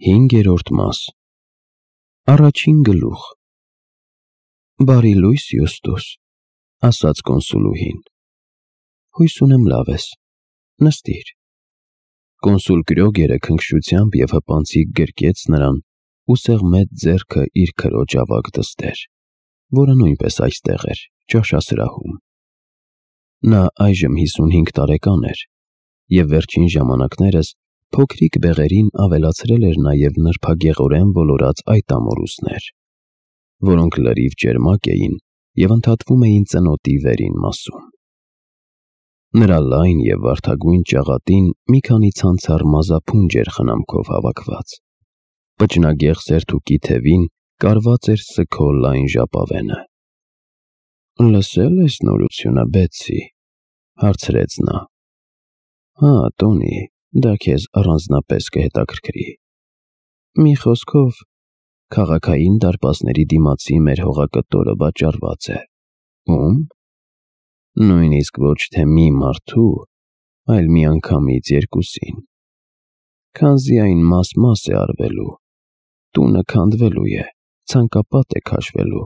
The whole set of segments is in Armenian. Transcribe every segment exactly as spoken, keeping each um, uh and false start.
Հինգերորդ մաս Առաջին գլուխ Բարի լույս, Յուստուս, ասաց կոնսուլուհին, հույս ունեմ լավ ես, նստիր։ Կոնսուլ Կրոգերը քնքշությամբ և հպանցիկ գրկեց նրան ու սեղմեց ձեռքը իր քրոջ ավագ դստեր, որը նույնպես այստեղ էր, ճաշասրահում։ Նա այժմ հիսունհինգ տարեկան էր և վերջին ժամանակներս փոքրիկ բեղերին ավելացրել էր նաև նրբագեղորեն ոլորած այդ ամորուսներ, որոնք լրիվ ճերմակ էին և ընդհատվում էին ծնոտի վերին մասում։ Նրա լայն և վարդագույն ճաղատին մի քանի ցանցառ մազափունջ էր խնամքով հավաքված, պճնագեղ սերթուկի թևին կարված էր սգո լայն ժապավենը։ «Լսե՞լ ես նորությունը, Բեթսի», հարցրեց նա։ «Հա, Տոնի, դա քեզ առանձնապես կհետաքրքրի։ Մի խոսքով, քաղաքային դարպասների դիմացի մեր հողակտորը վաճառված է։ Ո՞ւմ։ Նույնիսկ ոչ թե մի մարդու, այլ միանգամից երկուսին։ Քանզի այն մաս-մաս է արվելու, տունը քանդվելու է, ցանկապատ է քաշվելու,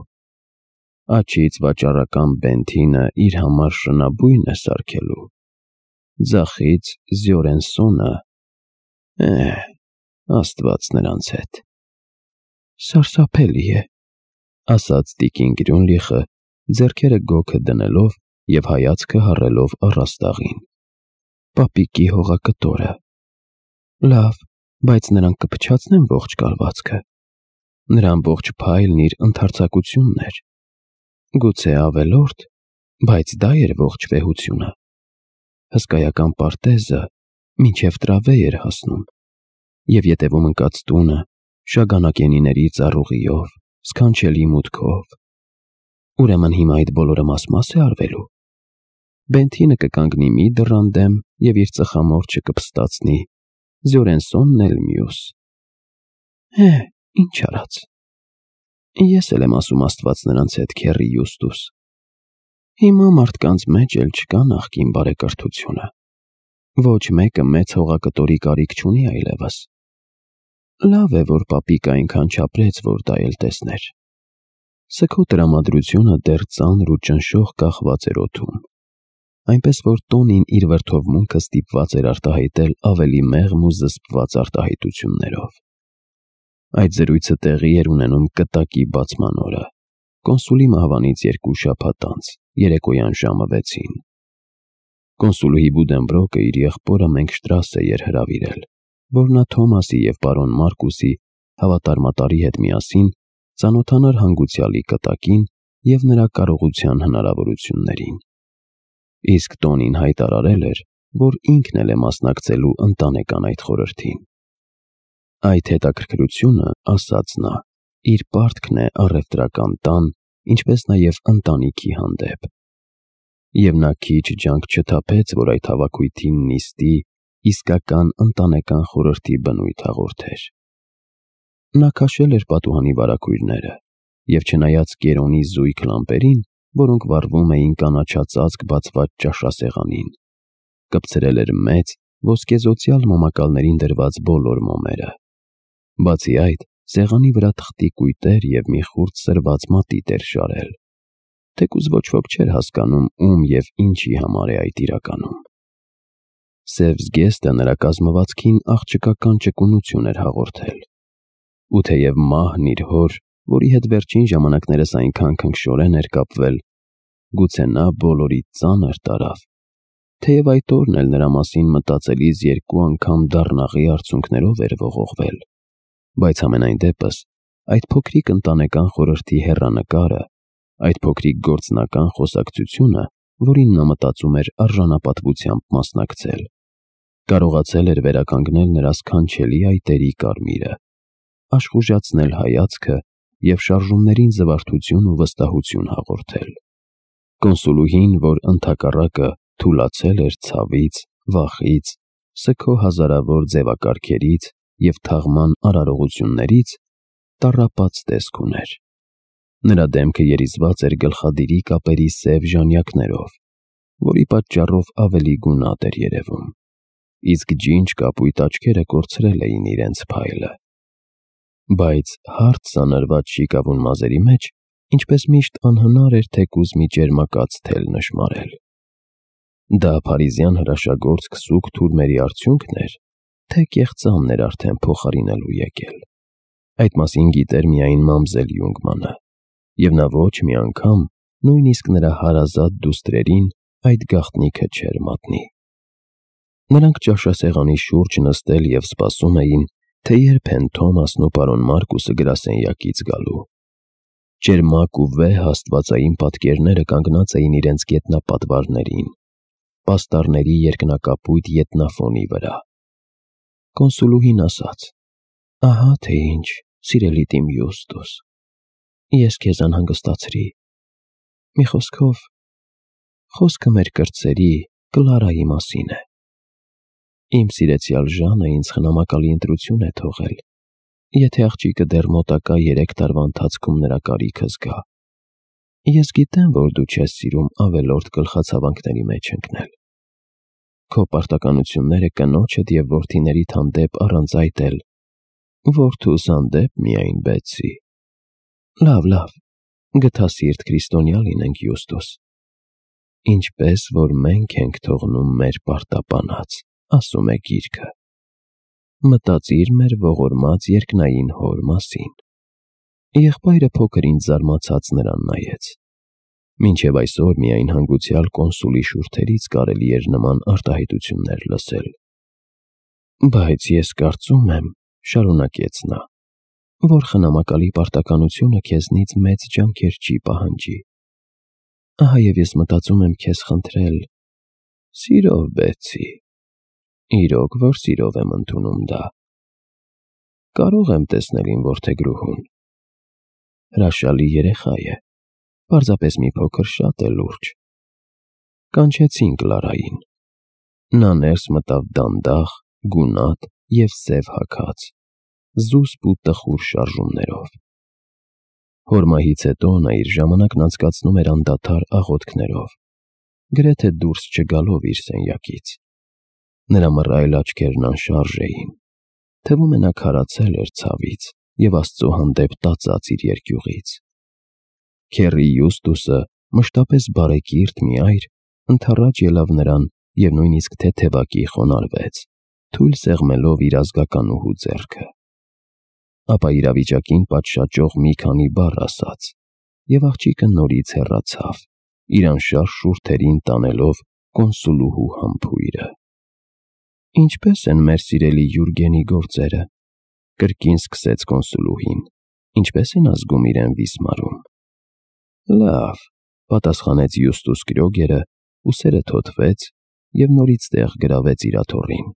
աջից վաճառական Բենթինը իր համար շնաբույն է սարքելու, ձախից Զորենսոնը… Էհ, Աստված նրանց հետ»։ «Սարսափելի է», ասաց տիկին Գրյունլիխը, ձեռքերը գոգը դնելով և հայացքը հառելով առաստաղին։ «Պապիկի հողակտորը… Լավ, բայց նրանք կփչացնեն ողջ կալվածքը։ Նրա ամբողջ փայլն իր ընդարձակությունն էր։ Գուցե ավելորդ, բայց դա էր ողջ վեհությունը։ Հսկայական պարտեզը մինչև տրավե էր հասնում, և ետևում ընկած տունը շագանակենիների ծառուղիով, սքանչելի մուտքով։ Ուրեմն հիմա այդ բոլորը մաս-մաս է արվելու։ Բենթինը կկանգնի մի դռան դեմ և իր ծխամորճը կփստացնի, Զորենսոնն էլ մյուս։ Էհ, ինչ արած։ Ես էլ եմ ասում Աստված նրանց հետ, քեռի Յուստուս։ Հիմա մարդկանց մեջ էլ չկա նախկին բարեկրթությունը։ Ոչ մեկը մեծ հողակտորի կարիք չունի այլևս։ Լավ է, որ պապիկը այնքան չապրեց, որ դա էլ տեսներ։ Սգո տրամադրությունը դեռ ծանր ու ճնշող կախված էր օդում, այնպես որ Տոնին իր վրդովմունքը ստիպված էր արտահայտել ավելի մեղմ ու զսպված արտահայտություններով։ Այդ զրույցը տեղի էր ունենում կտակի բացման օրը, կոնսուլի մահվանից երկու շաբաթ անց, երեկոյան ժամը վեցին։ Կոնսուլուհի Բուդենբրոկը իր եղբորը Մենգշտրասե էր հրավիրել, որ նա Թոմասի և պարոն Մարկուսի հավատարմատարի հետ միասին ծանոթանար հանգուցյալի կտակին և նրա կարողության հնարավորություններին։ Իսկ Տոնին հայտարարել էր, որ ինքն էլ է մասնակցելու ընտանեկան այդ խորհրդին։ Այդ հետաքրքրությունը, ասաց նա, իր պարտքն է առևտրական տան, ինչպես նաև ընտանիքի հանդեպ։ Եվ նա քիչ ջանք չթափեց, որ այդ հավաքույթին նիստի, իսկական ընտանեկան խորհրդի բնույթ հաղորդեր։ Նա քաշել էր պատուհանի վարագույրները և չնայած կերոնի զույգ լամպերին, որոնք վառվում էին կանաչածածկ բացված ճաշասեղանին, կպցրել էր մեծ, ոսկեզօծյալ մոմակալներին դրված բոլոր մոմերը։ Բացի այդ, սեղանի վրա թղթի կույտեր և մի խուրձ սրված մատիտ էր շարել, թեկուզ ոչ ոք չէր հասկանում ում և ինչի համար է այդ իրականում։ Սև զգեստը նրա կազմվածքին աղջկական ճկունություն էր հաղորդել։ Ու թեև մահն իր հոր, որի հետ վերջին ժամանակներս այնքան քնքշորեն էր կապվել, գուցե նա բոլորից ծանր տարավ, թեև այդ օրն էլ նրա մասին մտածելիս երկու անգամ դառնաղի արցունքներով էր ողողվել, բայց համենայն դեպս այդ փոքրիկ ընտանեկան խորհրդի հեռանկարը, այդ փոքրիկ գործնական խոսակցությունը, որին նա մտածում էր արժանապատվությամբ մասնակցել, կարողացել էր վերականգնել նրա սքանչելի այտերի կարմիրը, աշխուժացնել հայացքը և շարժումներին զվարթություն ու վստահություն հաղորդել։ Կոնսուլուհին, որ ընդհակառակը թուլացել էր ցավից, վախից, սգո հազարավոր ձևակարգերից և թաղման արարողություններից, տառապած տեսք ուներ։ Նրա դեմքը երիզված էր գլխադիրի կապերի սև ժանյակներով, որի պատճառով ավելի գունատ էր երևում, իսկ ջինջ կապույտ աչքերը կորցրել էին իրենց փայլը։ Բայց հարթ սանրված շիկավուն մազերի մեջ, ինչպես միշտ անհնար էր թեկուզ մի ճերմակաց թել նշմարել։ Դա փարիզյան հրաշագործ քսուկ թուրմերի արդյունքն էր, թե կեղծամն էր արդեն փոխարինելու եկել։ Այդ մասին գիտեր միայն մամզել Յունգմանը, և նա ոչ մի անգամ, նույնիսկ նրա հարազատ դուստրերին այդ գաղտնիքը չէր մատնի։ Նրանք ճաշասեղանի շուրջ նստել և սպասում էին, թե երբ են Թոմասն ու պարոն Մարկուսը գրասենյակից գալու։ Ճերմակ ու վեհ աստվածային պատկերները կանգնած էին իրենց գետնապատվարներին, պաստառների երկնակապույտ ետնաֆոնի վրա։ Կոնսուլուհին ասաց. «Ահա թե ինչ, սիրելի տիմ Յուստուս, ես քեզ անհանգստացրի։ Մի խոսքով, խոսքը մեր կրտսերի Կլարայի մասին է։ Իմ սիրեցյալ Ժանը ինձ խնամակալի ընտրություն է թողել, եթե աղջիկը դեռ մոտակա երեք տարվա ընթացքում նրա կարիքը զգա։ Ես գիտեմ, որ դու չես սիրում ավելորդ գլխացավանքների մեջ ընկնել։ Քո պարտականությունները կնոջդ և որդիներիդ հանդեպ առանց այդ էլ որդուս հանդեպ միայն Բեցի։ Լավ, լավ, գթասիրտ քրիստոնյա լինենք, Յուստուս։ Ինչպես որ մենք ենք թողնում մեր պարտապանած, ասում է գիրքը։ Մտածիր մեր ողորմած երկնային Հոր մասին»։ Եղբայրը փոքր ինձ զարմացած նրան նայեց։ Մինչև այսօր միայն հանգուցյալ կոնսուլի շուրթերից կարելի էր նման արտահայտություններ լսել։ «Բայց ես կարծում եմ, — շարունակեց նա, — որ խնամակալի պարտականությունը քեզնից մեծ ջանքեր չի պահանջի։ Ահա և ես մտածում եմ քեզ խնդրել. սիրով, Բեցի, իրոք որ սիրով եմ ընդունում դա։ Կարո՞ղ եմ տեսնել իմ որդեգրուհուն։ Հրաշալի երեխա է, պարզապես մի փոքր շատ է լուրջ»։ Կանչեցին Կլարային։ Նա ներս մտավ դանդաղ, գունատ և սև հագած, զուսպ ու տխուր շարժումներով։ Հոր մահից հետո նա իր ժամանակն անցկացնում էր անդադար աղոթքներով, գրեթե դուրս չգալով իր սենյակից։ Նրա մռայլ աչքերն անշարժ էին, թվում է նա քարացել էր ցավից և Աստծո հանդեպ տածած իր երկյուղից։ Քեռի Յուստուսը, մշտապես բարեկիրթ մի այր, ընդառաջ ելավ նրան և նույնիսկ թեթևակի խոնարհվեց, թույլ սեղմելով իր ազգականուհու ձեռքը։ Ապա իրավիճակին պատշաճող մի քանի բառ ասաց, և աղջիկը նորից հեռացավ, իր անշարժ շուրթերին տանելով կոնսուլուհու համբույրը։ «Ինչպե՞ս են մեր սիրելի Յուրգենի գործերը», կրկին սկսեց կոնսուլուհին, «ինչպե՞ս են ազգում իրեն վիսմարում»։ «Լավ», պատասխանեց Յուստուս Կրյոգերը, ուսերը թոթվեց և նորից տեղ գրավեց իր աթոռին։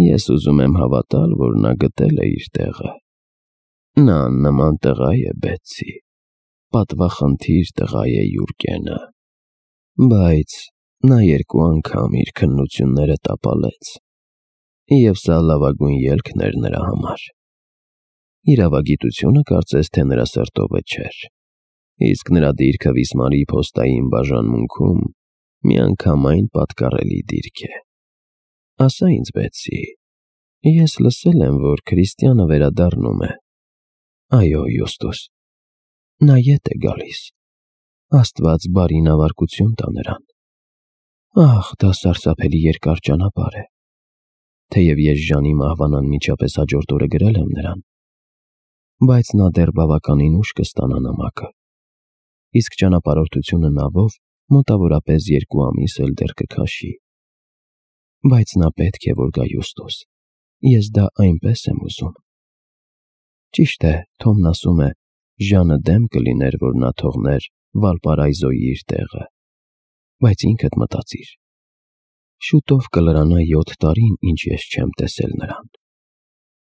«Ես ուզում եմ հավատալ, որ նա գտել է իր տեղը։ Նա աննման տղա է, Բեցի, պատվախնդիր տղա է Յուրգենը։ Բայց նա երկու անգամ իր քննությունները տապալեց, և սա լավագույն ելքն էր նրա համար։ Իրավագիտությունը կարծես թե նրա սրտովը չէր, իսկ նրա դիրքը վիսմարի փոստային բաժանմունքում միանգամայն պատկառելի դիրք է։ Ասա ինձ, Բեցի, ես լսել եմ, որ քրիստյանը վերադառնում է։ Այո, Յուստուս, նա ետ է գալիս։ Աստված բարինավարկություն տա նրան։ Ահ, դա սարսափելի երկար ճանապարհ է։ Թեև ես Ժանի մահվան անմիջապես հաջորդ օրը գրել եմ նրան, բայց նա դեռ բավականին ուշ կստանա նամակը, իսկ ճանապարհորդությունը նավով մոտավորապես երկու ամիս էլ դեռ կքաշի։ Բայց նա պետք է որ գա, Յուստուս, ես դա այնպես եմ ուզում։ Ճիշտ է, Թոմն ասում է, Ժանը դեմ կլիներ, որ նա թողներ Վալպարայզոյի իր տեղը, բայց ինքդ մտածիր, շուտով կլրանա յոթ տարին, ինչ ես չեմ տեսել նրան,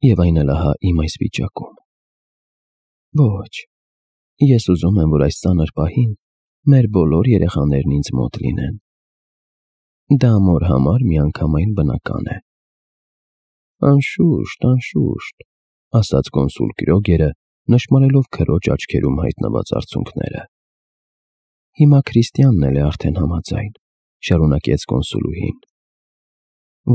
և այն էլ ահա իմ այս վիճակում։ Ոչ, ես ուզում եմ, որ այս ծանր պահին մեր բոլոր երեխաներն ինձ մոտ լինեն։ Դա մոր համար միանգամայն բնական է։ Անշուշտ, անշուշտ, ասաց կոնսուլ Կրյոգերը, նշմարելով քրոջ աչքերում հայտնված արցունքները։ Հիմա քրիստյանն էլ է արդեն համաձայն, շարունակեց կոնսուլուհին,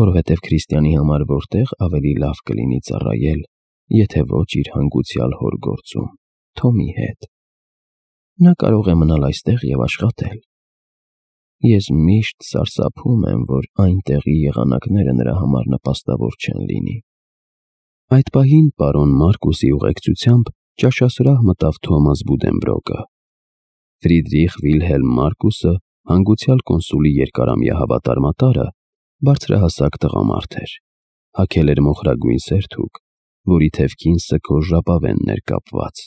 որովհետև քրիստյանի համար որտեղ ավելի լավ կլինի ծառայել, եթե ոչ իր հանգուցյալ հոր գործում, Թոմի հետ։ Նա կարող է մնալ այստեղ և աշխատել։ Ես միշտ սարսափում եմ, որ այնտեղի եղանակները նրա համար նպաստավոր չեն լինի։ Այդ պահին պարոն Մարկուսի ուղեկցությամբ ճաշասրահ մտավ Թոմաս Բուդենբրոկը։ Ֆրիդրիխ Վիլհելմ Մարկուսը, հանգուցյալ կոնսուլի երկարամյա հավատարմատարը, բարձրահասակ տղամարդ էր, հագել էր մոխրագույն սերթուկ, որի թևքին սգոր ժապավենն էր կապված։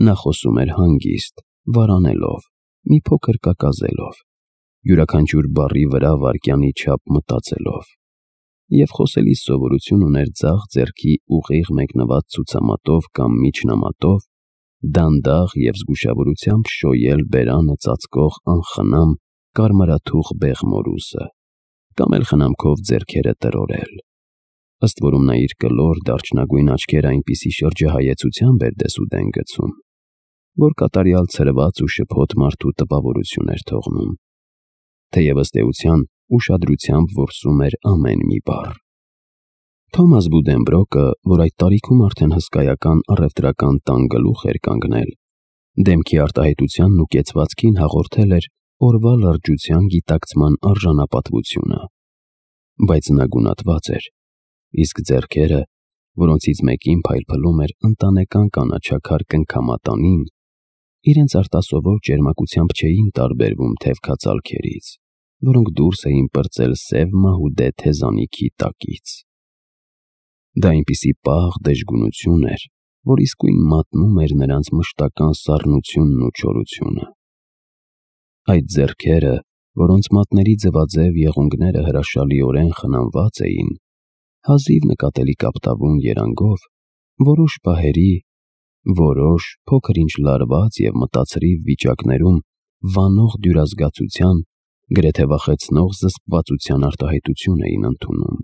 Նա խոսում էր հանգիստ, վարանելով, մի փոքր կակազելով, յուրաքանչյուր բառի վրա վայրկյանի չափ մտածելով, և խոսելիս սովորություն ուներ ձախ ձեռքի ուղիղ մեկնված ցուցամատով կամ միջնամատով, դանդաղ և զգուշավորությամբ շոյել բերանը ծածկող անխնամ կարմրաթուխ բեղմորուսը, կամ էլ խնամքով ձեռքերը տրորել, ըստ որում նա իր կլոր դարչնագույն աչքերը այնպիսի շրջահայեցությամբ էր դեսուդեն գցում, որ կատարյալ ցրված ու շփոթ մարդու տպավորություն էր թողնում, թեև ըստ էության ուշադրությամբ որսում էր ամեն մի բառ։ Թոմաս Բուդենբրոկը, որ այդ տարիքում արդեն հսկայական առևտրական տան գլուխ էր կանգնել, դեմքի արտահայտությանն ու կեցվածքին հաղորդել էր օրվա լրջության գիտակցման արժանապատվությունը, բայց նա գունատված էր, իսկ ձեռքերը, որոնցից մեկին փայլփլում էր ընտանեկան կանաչաքար կնքամատանին, իրենց արտասովոր ճերմակությամբ չէին տարբերվում թևքածալքերից, որոնք դուրս էին պրծել սև մահուդե թեզանիքի տակից։ Դա այնպիսի պաղ դժգունություն էր, որ իսկույն մատնում էր նրանց մշտական սառնությունն ու չորությունը։ Այդ ձեռքերը, որոնց մատների ձվաձև եղունգները հրաշալիորեն խնամված էին, հազիվ նկատելի կապտավուն երանգով, որոշ պահերի, որոշ փոքր-ինչ լարված և մտածրիվ վիճակներում վանող դյուրազգացության, գրեթե վախեցնող զսպվածության արտահայտություն էին ընդունում։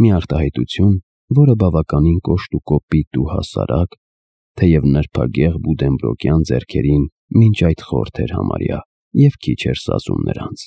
Մի արտահայտություն, որը բավականին կոշտ ու կոպիտ ու հասարակ, թեև նրբագեղ Բուդենբրոկյան ձեռքերին մինչ այդ խորթ էր համարյա և քիչ էր սազում նրանց։